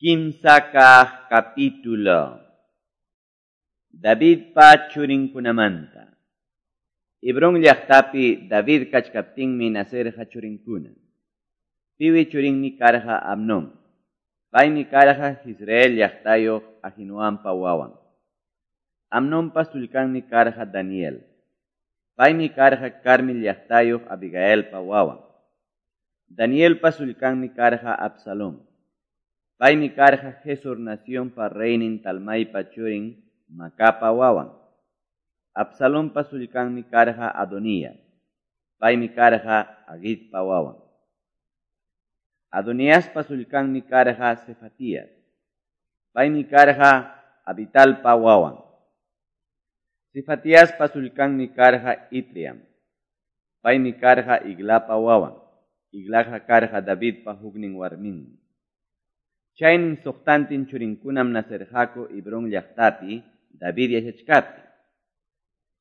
Kimsa kaq capítulo. Davidpa churinkunamanta. Hebrón llaqtapi David kachkaptinmi nacerqa churinkuna. Piwi churinmi karqa Amnón. Paymi karqa Jezreel llaqtayuq Ahinoampa wawan. Amnonpa sullkanmi karqa Daniel. Paymi karqa Carmel llaqtayuq Abigailpa wawan. Danielpa sullkanmi karqa Absalón. Paymi karqa Gesur nacionpa reynin Talmaipa churin Macapa wawan. Absalonpa sullkanmi karqa Adonías. Paymi karqa Haguitpa wawan. Adoniaspa sullkanmi karqa Cefatías. Paymi karqa Abitalpa wawan. Cefatiaspa sullkanmi karqa Itriam. Paymi karqa Eglapa wawan. Eglaqa karqa Davidpa huknin warminmi. Chaynin suqtantin churinkunam nacerqaku Hebrón llaqtapi David yachachkaptin.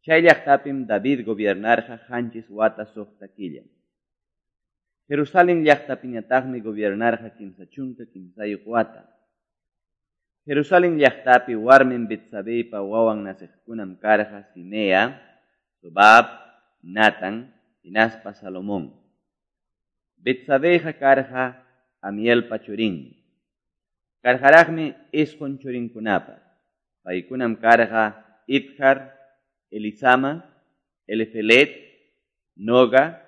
Chay llaqtapim David gobiernarqa qanchis wata suqta killa. Jerusalén llaqtapiñataqmi gobiernarqa 33 wata. Jerusalén llaqtapi warmin Betsabeypa wawan naciqkunam karqa Simea, Sobab, Natan, hinaspa Salomón. Betsabeyqa karqa Amielpa churinmi. Karqaraqmi isqun churinkunapas. Paykunam karqa Ibhar, Elisama, Elifelet, Noga,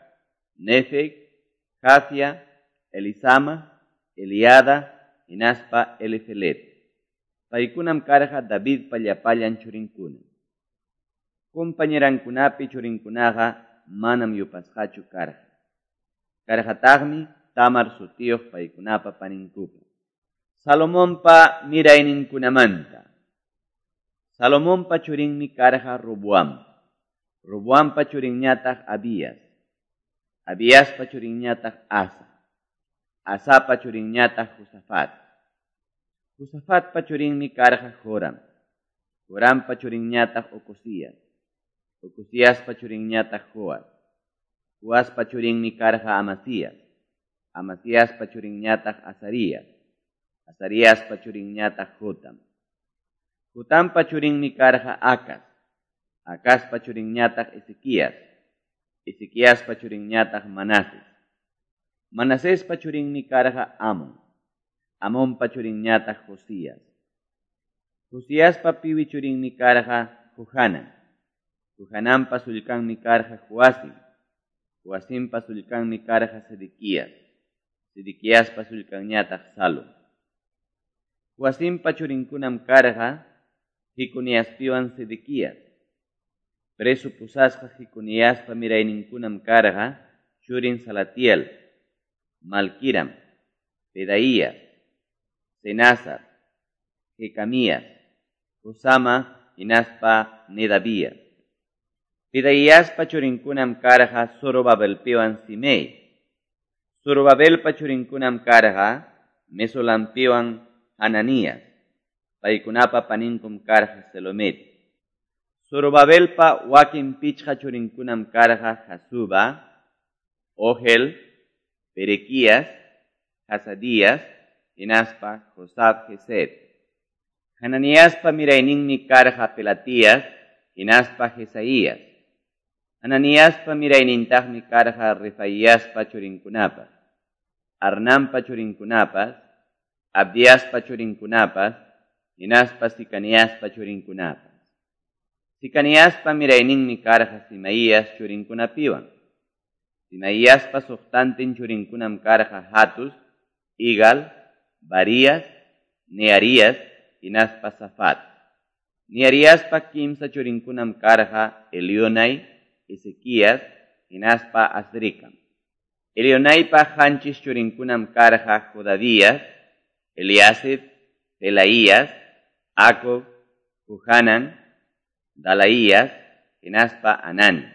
Nefeg, Jafia, Elisama, Eliada, hinaspa Elifelet. Paykunam karqa Davidpa llapallan churinkuna. Compañerankunapi churinkunaqa manam yupasqachu karqa. Karqataqmi Tamar sutiyuq paykunapa paninkupa. Salomonpa mirayninkunamanta. Salomonpa churinmi karqa Roboam. Roboampa churinñataq Abías. Abiaspa churinñataq Asa. Asapa churinñataq Josafat. Josafatpa churinmi karqa Joram. Jorampa churinñataq Ocosías. Ocosíaspa churinñataq Joas. Joaspa churinmi karqa Amasías. Amasíaspa churinñataq Azarías. Azariaspa churinñataq Jotam. Jotampa churinmi karqa Acaz. Acazpa churinñataq Ezequías. Ezequiaspa churinñataq Manases. Manasespa churinmi karqa Amón. Amonpa churinñataq Josías. Josiaspa piwi churinmi karqa Johanan. Johananpa sullkanmi karqa Joacim. Joacimpa sullkanmi karqa Sedequías. Sedequiaspa sullkanñataq Salum. Joacimpa churinkunam karqa Jeconiaspiwan Sedequías. Preso pusasqa Jeconiaspa mirayninkunam karqa churin Salatiel, Malquiram, Pedaías, Senazar, Jecamías, Josama hinaspa Nedavías. Pedaíaspa churinkunam karqa Zorobabelpiwan Simei. Zorobabelpa churinkunam karqa Mesolampiwan Hananías. Paykunapa paninkum karqa Selomet. Zorobabelpa wakin pichqa churinkunam karqa Jasuba, Ogel, Berequías, Hasadías, hinaspa Josab Gesed. Hananiaspa mirayninmi karqa Pelatías, hinaspa Jesaías. Hananiaspa miraynintaqmi karqa Refaiaspa churinkunapas, Arnampa churinkunapas, Abdiaspa churinkunapas, hinaspa Sicaniaspa churinkunapas. Sicaniaspa mirayninmi karqa Simaías churinkunapiwan. Simaíaspa suqtantin churinkunam karqa Hatus, Igal, Barías, Nearías, hinaspa Safat. Neariaspa kimsa churinkunam karqa Elionai, Ezequías, hinaspa Azricam. Elionaipa qanchis churinkunam karqa Jodavías, Eliasib, Pelaías, Acob, Johanan, Dalaías, hinaspa Anani.